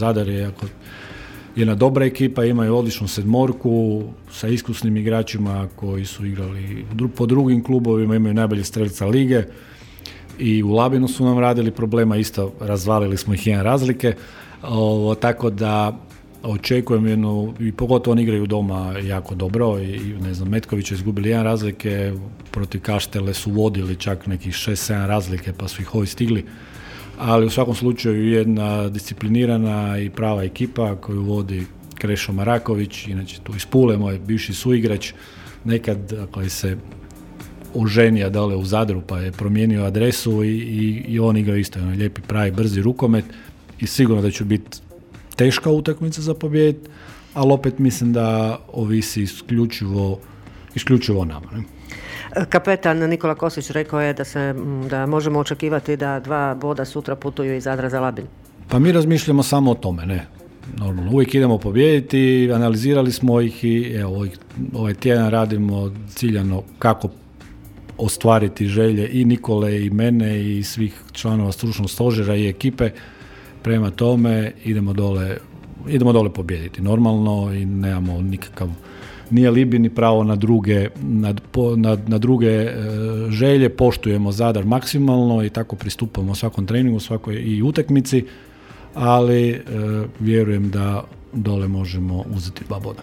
Zadar je jedna dobra ekipa, imaju odličnu sedmorku sa iskusnim igračima koji su igrali po drugim klubovima, imaju najbolje strelca lige i u Labinu su nam radili problema, isto razvalili smo ih jedan razlike, tako da očekujem jednu, i pogotovo oni igraju doma jako dobro i ne znam, Metković je izgubili jedan razlike, protiv Kaštele su vodili čak nekih 6-7 razlike pa su ih ovi stigli, ali u svakom slučaju jedna disciplinirana i prava ekipa koju vodi Krešo Maraković, inače tu iz Pule, moj bivši suigrač, nekad koji se oženio dole u Zadru pa je promijenio adresu i on igra isto jedan lijepi, pravi, brzi rukomet i sigurno da će biti teška utakmica za pobijediti, ali opet mislim da ovisi isključivo o nama. Ne? Kapetan Nikola Kosić rekao je da možemo očekivati da 2 boda sutra putuju iz Zadra za Labin. Pa mi razmišljamo samo o tome, ne. Normalno, uvijek idemo pobijediti, analizirali smo ih i evo, ovaj tjedan radimo ciljano kako ostvariti želje i Nikole i mene i svih članova stručnog stožera i ekipe. Prema tome idemo dole pobijediti normalno i nemamo nikakav ni alibi ni pravo na druge želje, poštujemo Zadar maksimalno i tako pristupamo svakom treningu, svakoj i utakmici, ali vjerujem da dole možemo uzeti 2 boda.